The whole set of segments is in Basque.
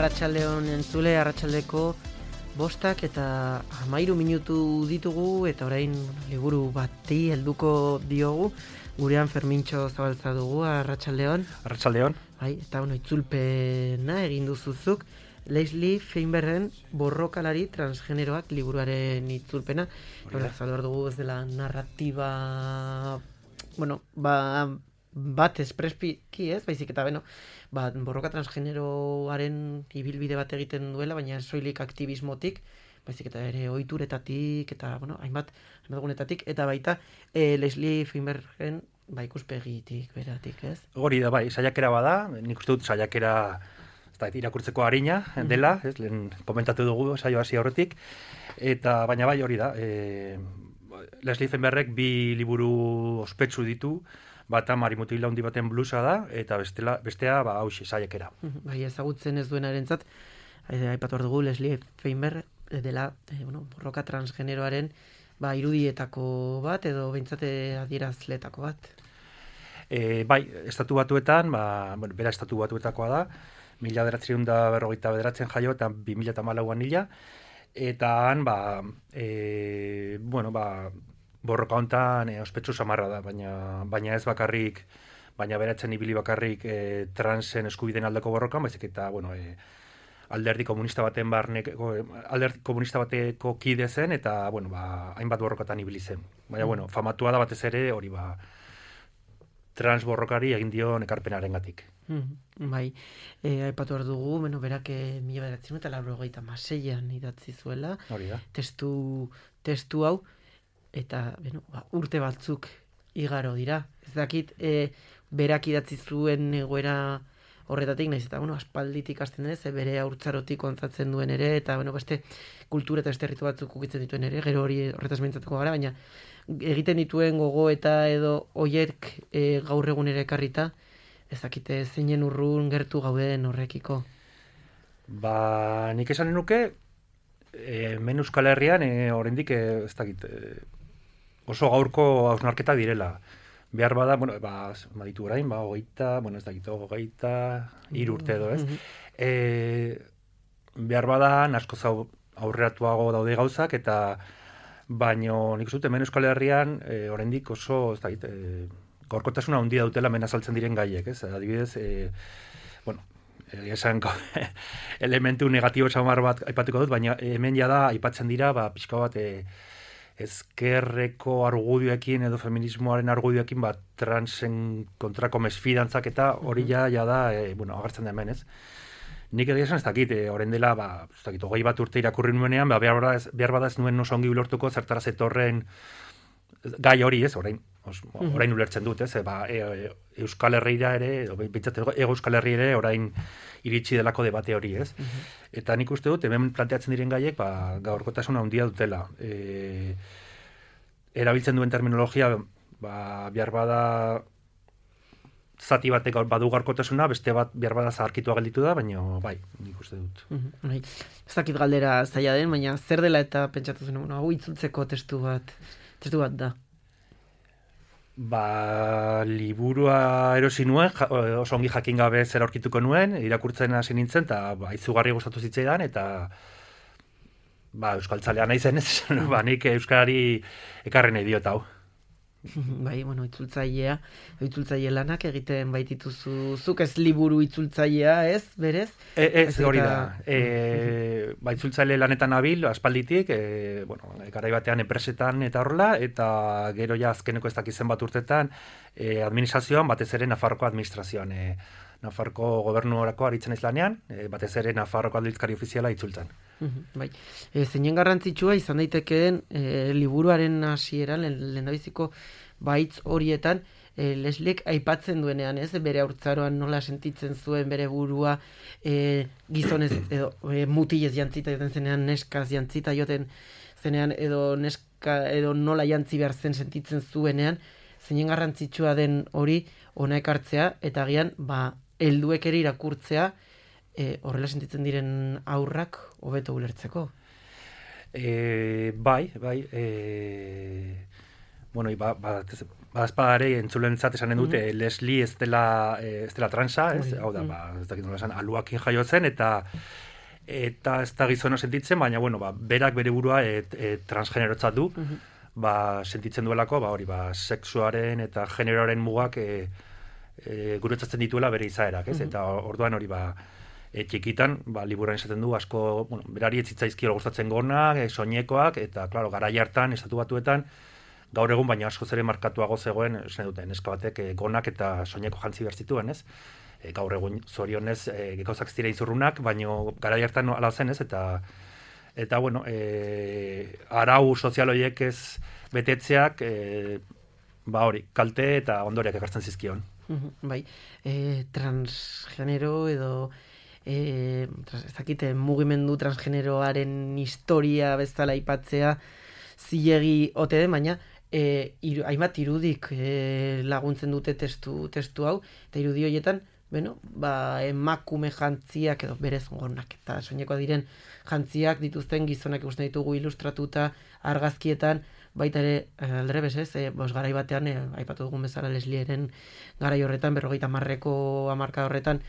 Arratsaldeon entzule, arratsaldeko 5 eta 13 minutu ditugu eta orain liburu bati helduko diogu. Gurean Fermintxo Zabaltza dugu, arratsaldeon. Arratsaldeon. Bai, eta itzulpena egin duzuzuk. Leslie Feinbergen Borrokalari transgeneroak liburuaren itzulpena. Hora, salvar dugu ez dela narratiba, bat espreski ez, baizik eta borroka transgeneroaren ibilbide bat egiten duela, baina soilik aktivismotik, baizik eta ere ohituretatik eta hainbat gunetatik, eta baita Leslie Feinbergen ikuspegitik beratik, ez? Hori da, bai, saiakera bada, nik uste dut saiakera irakurtzeko arina dela, ez, lehen komentatu dugu saio hasi aurretik, eta baina bai hori da, Leslie Feinbergek 2 liburu ospetsu ditu, bata Marimutil handi baten blusa da, eta bestea hauxe, saiakera. Bai, ezagutzen ez duenarentzat, aipatu behar dugu Leslie Feinberg dela borroka transgeneroaren irudietako bat, edo behintzat adierazletako bat. Bai, estatu batuetan, bera estatu batuetakoa da, 1949 jaio eta 2014an hila, eta han, borroka hontan ospetsu samarra da, baina ez bakarrik, baina beratzen ibili bakarrik transen eskubideen aldeko borrokan, baizik eta, alderdi komunista bateko kide zen, eta, hainbat borrokatan ibili zen. Baina, famatua da batez ere, hori trans borrokari egin dion ekarpenarengatik. Bai, aipatu behar dugu, berak 1996an idatzi zuela, testu hau, eta urte batzuk igaro dira. Ez dakit, berak idatzi zuen egoera horretatik, nahiz eta aspalditik hasten denez, bere haurtzarotik kontzatzen duen ere, eta beste kultura eta beste herritu batzuk ukitzen dituen ere, gero hori horretaz mintzatuko gara, baina egiten dituen gogo eta edo oiek gaur egun ere ekarrita, ez dakite zeinen urrun gertu gauden horrekiko. Nik esanen nuke, hemen Euskal Herrian, oraindik ez dakit, oso gaurko hausnarketa direla. Behar bada, ditu orain, 23 urte edo, ez? Behar bada, askoz aurreratuago daude gauzak, eta baino nik uste hemen Euskal Herrian oraindik oso, ez dakit, gaurkotasuna handia dutela hemen azaltzen diren gaiek, ez? Adibidez, esan elementu negatibo samar bat aipatuko dut, baina hemen jada aipatzen dira, pixka bat ezkerreko argudioekin edo feminismoaren argudioekin transen kontrako mesfidantzak eta hori jada agertzen da hemen, ez? Nik egia esan ez dakit, orain dela, 20 bat urte irakurri nuenean, behar bada ez nuen oso ongi ulertuko zertara zetorren gai hori, ez, orain ulertzen dut, ez, Euskal Herriera ere, Ego Euskal Herri ere, orain iritsi delako debate hori, ez. Eta nik uste dut, hemen planteatzen diren gaiek, gaurkotasuna handia dutela. Erabiltzen duen terminologia, behar bada zati batek badu gaurkotasuna, beste bat behar bada zaharkitua gelditu da, baina nik uste dut. Ez dakit galdera zaila den, baina zer dela eta pentsatu zen, hau itzultzeko testu bat da. Liburua erosi nuen, oso ongi jakin gabe zer aurkituko nuen, irakurtzen hasi nintzen, eta izugarri gustatu zitzaidan, eta euskaltzalea naizen, ez, nik euskarari ekarri nahi diot hau. Itzultzaile lanak egiten baitituzu, zuk ez liburu itzultzailea, ez, berez? Ez, hori da. Itzultzaile lanetan nabil, aspalditik, garai batean enpresetan eta horrela, eta gero azkeneko ez dakizen bat urtetan, administrazioan, batez ere Nafarroko administrazioan, Nafarroko gobernurako aritzen ez lanean, batez ere Nafarroko aldizkari ofiziala itzultzen. Zeinen garrantzitsua izan daitekeen liburuaren hasieran, lehendabiziko baitz horietan, Lesliek aipatzen duenean, ez, bere haurtzaroan nola sentitzen zuen bere burua gizonez edo mutilez jantzita joten zenean, neskaz jantzita joten zenean, edo neska edo nola jantzi behar zen sentitzen zuenean, zeinen garrantzitsua den hori ona ekartzea, eta agian helduek ere irakurtzea horrela sentitzen diren aurrak hobeto ulertzeko. Azpadare entzulentzat esanen dute, Leslie ez dela transa, hau da, ez dakit nola esan, aluakin jaiotzen, eta ez da gizona sentitzen, baina, bueno, berak bere burua transgenerotzat du, sentitzen duelako, hori, sexuaren eta generoaren mugak guretzatzen dituela bere izaerak, ez? Eta orduan hori, txikitan, liburuan esaten du, asko, berari ez zitzaizkio gustatzen gonak, soinekoak, eta, klaro, garai hartan, Estatu Batuetan, gaur egun, baina askoz ere markatuago zegoen, esan duten, neska batek gonak eta soineko jantzi behar zituen, ez? Gaur egun zorionez gauzak zira izurrunak, baina garai hartan ala zen, ez? Eta bueno, arau sozial horiek ez betetzeak, hori, kalte eta ondoriak ekartzen zizkion. Bai, transgenero edo ez dakite mugimendu transgeneroaren historia bezala aipatzea zilegi ote den, baina hainbat irudik laguntzen dute testu hau, eta irudi horietan, emakume jantziak edo berez gonak eta soinekoa diren jantziak dituzten gizonak ikusten ditugu ilustratuta argazkietan, baita ere aldrebes ez, garai batean aipatu dugun bezala Leslieren garai horretan, 50ko hamarkada horretan,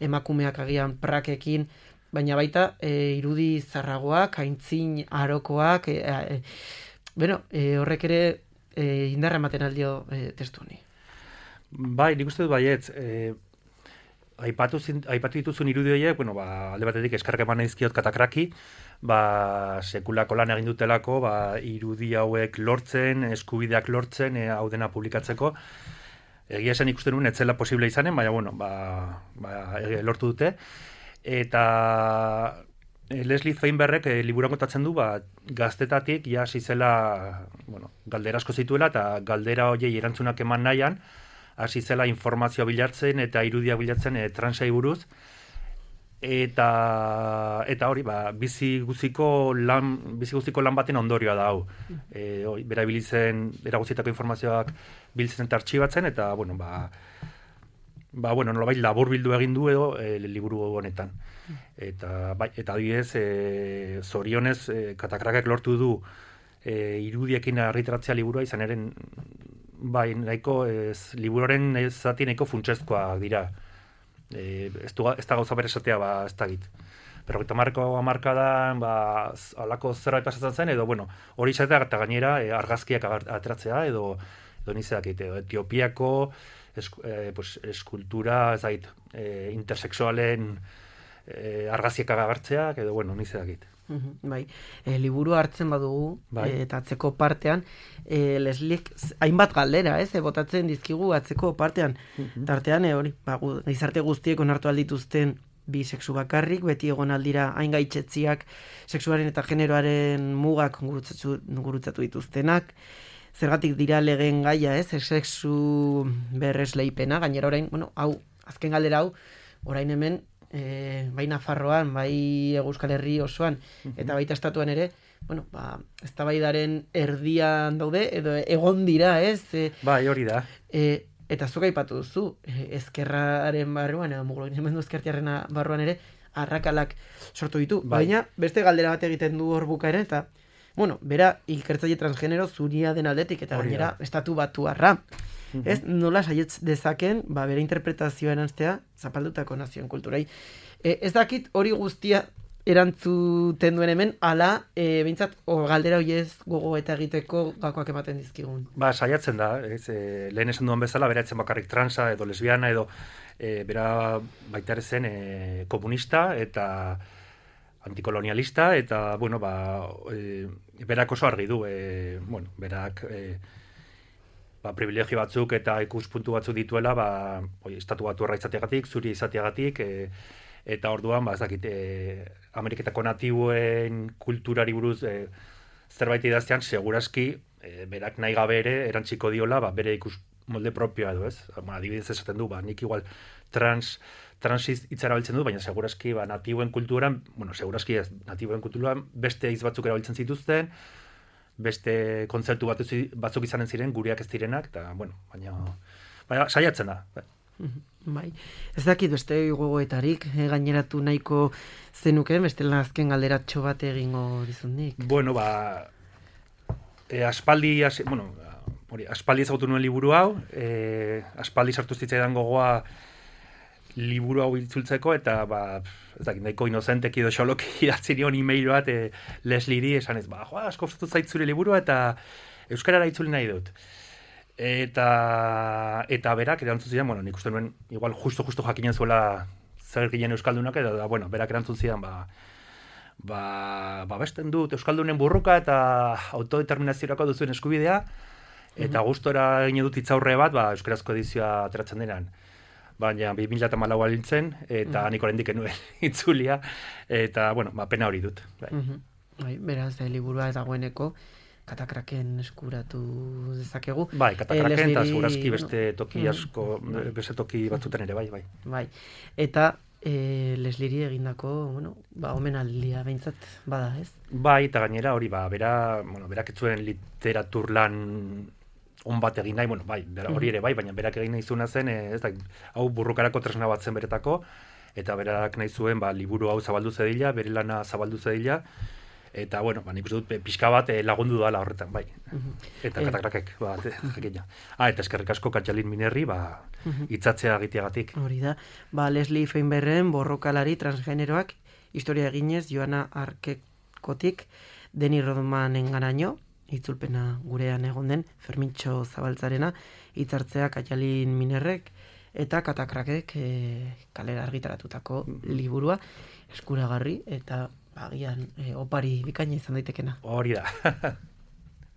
emakumeak agian prakekin, baina baita irudi zarragoak, aintzin arokoak, horrek ere indarra ematen aldio testu honi. Bai, nik uste dut baietz, aipatu dituzun irudi horiek, alde batetik eskarrak eman dizkiot katakraki, sekulako lan egin dutelako, irudi hauek lortzen, eskubideak lortzen, hau dena publikatzeko. Egia esan ikusten nuen, etzela posible izanen, baina lortu dute. Eta Leslie Feinbergek liburuan kontatzen du, gaztetatik hasi zela, galdera asko zituela, eta galdera horiei erantzunak eman nahian, hasi zela informazioa bilatzen eta irudiak bilatzen transai buruz, eta hori, bizi guztiko lan baten ondorioa da hau. Bera guztietako informazioak biltzen eta artxibatzen, eta, nolabait labur bildu egin du edo liburu honetan. Eta adibidez, zorionez, katakrakek lortu du irudiekin argitaratzea liburua izan eren, nahiko, liburuaren zati nahiko funtsezkoa dira. Ez da gauza bere esatea, ez da git. Pero hamarkadan, alako zerbait pasatzen zen, edo, hori izatea eta gainera argazkiak ateratzea, edo nizeak, Etiopiako eskultura, intersexualen argazkiak agartzeak, edo, nizeak. Bai, liburu hartzen badugu, eta atzeko partean, Lesliek hainbat galdera, botatzen dizkigu atzeko partean. Tartean, gizarte guztiek onartu aldituzten bi sexu bakarrik, beti egon aldira hain gaitzetziak sexuaren eta generoaren mugak gurutzatu dituztenak, zergatik dira legen gaia, sexu berresleipena, gainera orain, hau, azken galdera hau, orain hemen, bai Nafarroan, bai Euskal Herri osoan, eta baita estatuan ere, eztabaidaren erdian daude, edo egon dira, Bai, hori da. Eta zuk aipatu duzu, ezkerraren barruan, edo mugimendu ezkertiarren barruan ere, arrakalak sortu ditu. Baina, beste galdera bat egiten du hor bukaera, eta, bera, ikertzaile transgenero zuria den aldetik, eta gainera, Estatu Batuarra. Nola saietz dezaken, bere interpretazioa eranztea, zapaldutako nazioen kulturai. Ez dakit hori guztia erantzuten duen hemen, ala, behintzat, galdera horiez gogo eta egiteko gakoak ematen dizkigun. Saiatzen da, lehen esan duan bezala, bera etzen bakarrik transa edo lesbiana edo bera baita ere zen komunista eta antikolonialista, eta, berak oso argi du, berak privilegio batzuk eta ikuspuntu batzuk dituela, Estatu Batuarra izateagatik, zuri izateagatik, eta orduan, ez dakit, Ameriketako natibuen kulturari buruz zerbait idaztean, segurazki, berak nahi gabe ere, erantziko diola, bere molde propioa edo, ez? Adibidez esaten du, nik igual transiz hitza erabiltzen du, baina segurazki, natibuen kulturan, segurazki ez, natibuen kulturan beste hitz batzuk erabiltzen zituzten, beste kontzeptu batzuk izanen ziren, gureak ez direnak, eta, baina saiatzen da. Bai, ez dakit beste gogoetarik, gaineratu nahiko zenuken, beste azken galderatxo bat egingo dizundik. Aspaldi, hori, aspaldi ezagutu nuen liburu hau, aspaldi sartu zitzaidan gogoa liburu hau itzultzeko, eta, ez dakit, nahiko inozenteki edo xoloki idatzi nion e-mail bat Leslieri, esan ez, asko gustatu zait zure liburua, eta euskarara itzuli nahi dut. Eta berak erantzun zidan, nik uste nuen, igual justo jakinen zuela zer ginen euskaldunak, eta berak erantzun zidan, besten dut euskaldunen burruka eta autodeterminaziorako duzuen eskubidea, eta gustora gine dut itzaurre bat, euskarazko edizioa ateratzen denan. Baina 2014 alintzen, eta nik oraindik enuen itzulia, eta, pena hori dut. Beraz, liburua dagoeneko, Katakraken eskuratu dezakegu. Bai, Katakraken eta segurazki beste toki asko, beste toki batzuten ere, bai. Bai, eta Leslieri egindako, omenaldia behintzat bada, ez? Bai, eta gainera hori, berak ez zuen literatur lan on bat egin nahi, hori ere bai, baina berak egin nahi zuena zen, hau burrukarako tresna bat zen beretako, eta berak nahi zuen, liburu hau zabaldu zedila, bere lana zabaldu zedila, eta, nik uste dut pixka bat lagundu dala horretan, bai. Eta Katakrakek, jakina. Eta eskerrik asko Katjalin Minerri, hitzatzea egiteagatik. Hori da, Leslie Feinbergen borrokalari transgeneroak, historia eginez, Joana Arkekotik, Deni Rodmanen garaino, itzulpena gurean egon den, Fermintxo Zabaltzarena, hitzartzea Katjalin Minerrek, eta Katakrakek kalera argitaratutako liburua, eskuragarri, eta agian opari bikaina izan daitekena. Hori da.